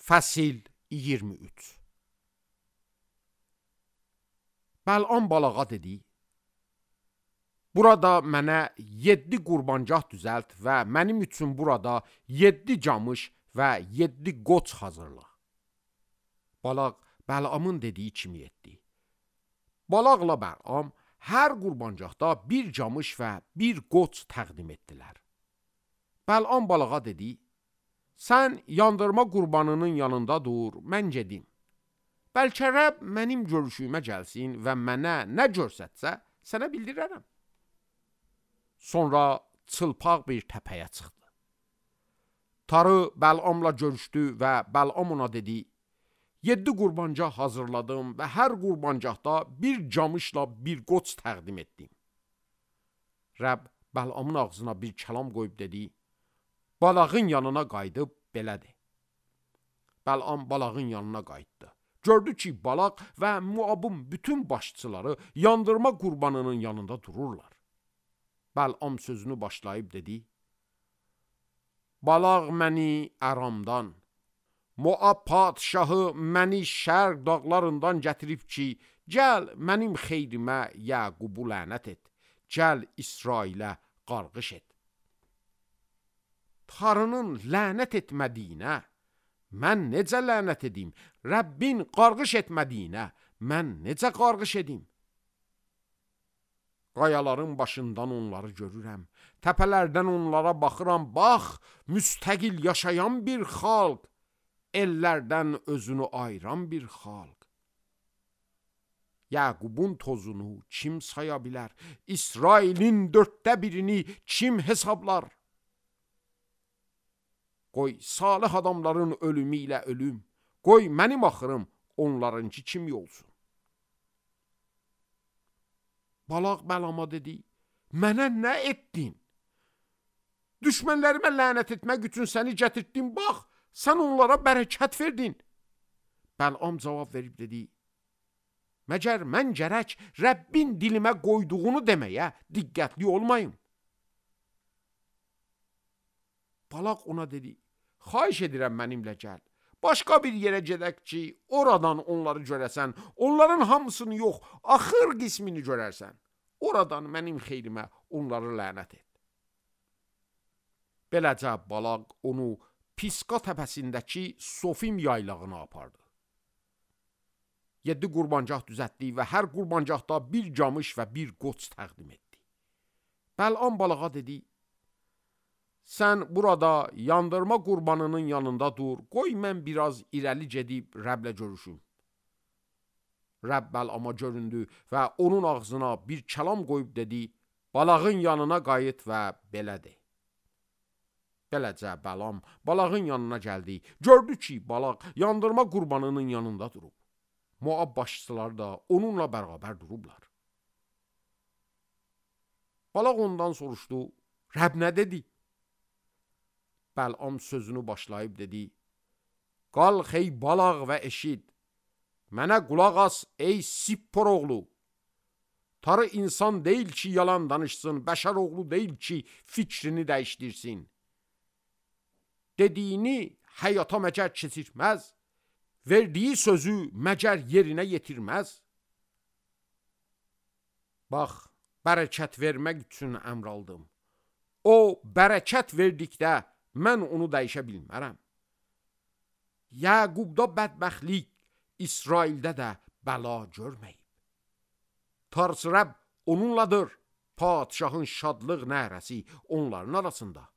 Fəsil 23. Bəl'am balağa dedi: Burada mənə 7 qurbancaq düzəlt və mənim üçün burada 7 camış və 7 qoç hazırla. Balaq Bəl'amın dediyi kimi etdi. Balaqla Bəl'am hər qurbancaqda bir camış və bir qoç təqdim etdilər. Bəl'am balağa dedi: Sən yandırma qurbanının yanında dur, mən gedim. Bəlkə Rəbb mənim görüşümə gəlsin və mənə nə görsətsə, sənə bildirərəm. Sonra çılpaq bir təpəyə çıxdı. Tarı Bəl'amla görüşdü və Bəl'am ona dedi: 7 qurbancaq hazırladım və hər qurbancaqda bir camışla bir qoç təqdim etdim. Rəbb Bəl'amın ağzına bir kəlam qoyub dedi: Balağın yanına qayıdıb belə de. Bəl'am balağın yanına qayıtdı. Gördü ki, balaq və Moabın bütün başçıları yandırma qurbanının yanında dururlar. Bəl'am sözünü başlayıb dedi: Balaq məni Əramdan, Moab padşahı məni şərq dağlarından gətirib ki, gəl mənim xeyrimə Yaqubu lənət et, gəl İsrailə qarğış et. Tarının lənət etmədiyinə mən necə lənət edim? Rəbbin qarğış etmədiyinə mən necə qarğış edim? Qayaların başından onları görürəm, təpələrdən onlara baxıram, bax, müstəqil yaşayan bir xalq, ellərdən özünü ayıran bir xalq. Yaqubun tozunu kim saya bilər? İsrailin 1/4-ni kim hesablar? Qoy salih adamların ölümü ilə ölüm, qoy mənim axırım onlarınki kimi olsun. Balaq Bəl'ama dedi: Mənə nə etdin? Düşmənlərimə lənət etmək üçün səni gətirdim, bax, sən onlara bərəkət verdin. Bəl'am cavab verib dedi: Məgər mən gərək Rəbbin dilimə qoyduğunu deməyə diqqətli olmayım. Balaq ona dedi: Xahiş edirəm mənimlə gəl. Başqa bir yerə gedək ki, oradan onları görəsən, onların hamısını yox, axır qismini görərsən. Oradan mənim xeyrimə onları lənət et. Beləcə balaq onu Pisqa təpəsindəki Sofim yaylağına apardı. 7 qurbancaq düzəltdi və hər qurbancaqda bir camış və bir qoç təqdim etdi. Bəl'am balağa dedi: Sən burada yandırma qurbanının yanında dur, qoy mən biraz irəli gedib Rəbblə görüşüm. Rəbb Bəl'ama göründü və onun ağzına bir kəlam qoyub dedi: Balağın yanına qayıt və belə de. Beləcə Bəl'am balağın yanına gəldi. Gördü ki, balaq yandırma qurbanının yanında durub. Moab başçıları da onunla bərabər durublar. Balaq ondan soruşdu: Rəbb nə dedi? Bəl'am sözünü başlayıb dedi: Qalx ey balaq və eşit. Mənə qulaq as ey Sippor oğlu. Tarı insan deyil ki, yalan danışsın, bəşər oğlu deyil ki, fikrini dəyişdirsin. Dediyini həyata məgər keçirməz, verdiyi sözü məgər yerinə yetirməz. Bax, bərəkət vermək üçün əmr aldım. O, bərəkət verdikdə mən onu dəyişə bilmərəm. Yaqubda bədbəxtlik, İsraildə də bəla görməyib. Tarz Rəbb onunladır, padşahın şadlıq nəhrəsi onların arasında.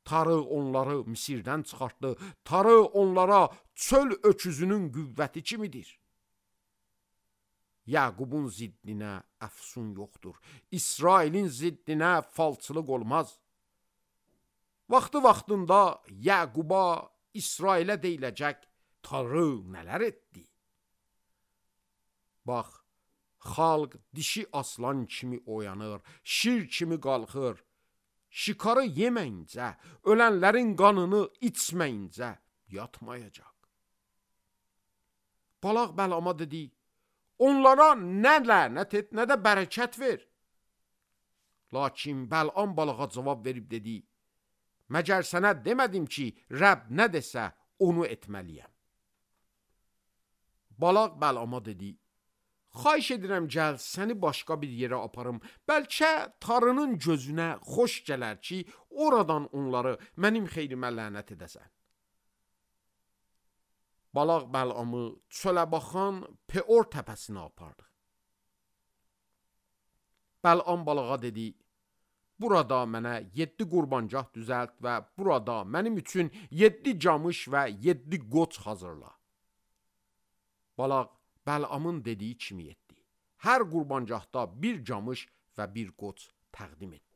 Tarı onları Misirdən çıxartdı, tarı onlara çöl öküzünün qüvvəti kimidir. Yaqubun ziddinə əfsun yoxdur, İsrailin ziddinə falçılıq olmaz. Vaxtı-vaxtında Yaquba, İsrailə deyiləcək, Tarı nələr etdi? Bax, xalq dişi aslan kimi oyanır, şir kimi qalxır, şikarı yeməyincə, ölənlərin qanını içməyincə yatmayacaq. Balaq Bəl'ama dedi: Onlara nə lənət et, nə də bərəkət ver. Lakin Bəl'am balağa cavab verib dedi: Məgər sənə demədim ki, Rəbb nə desə, onu etməliyəm. Balaq Bəlama dedi: Xahiş edirəm gəl səni başqa bir yerə aparım. Bəlkə tarının gözünə xoş gələr ki, oradan onları mənim xeyrimə lənət edəsən. Balaq Bəlamı çölə baxan Peor təpəsinə apardı. Bəlam balağa dedi: Burada mənə 7 qurbancaq düzəlt və burada mənim üçün 7 camış və 7 qoç hazırla. Balaq Bəlamın dediyi kimi etdi. Hər qurbancaqda bir camış və bir qoç təqdim etdi.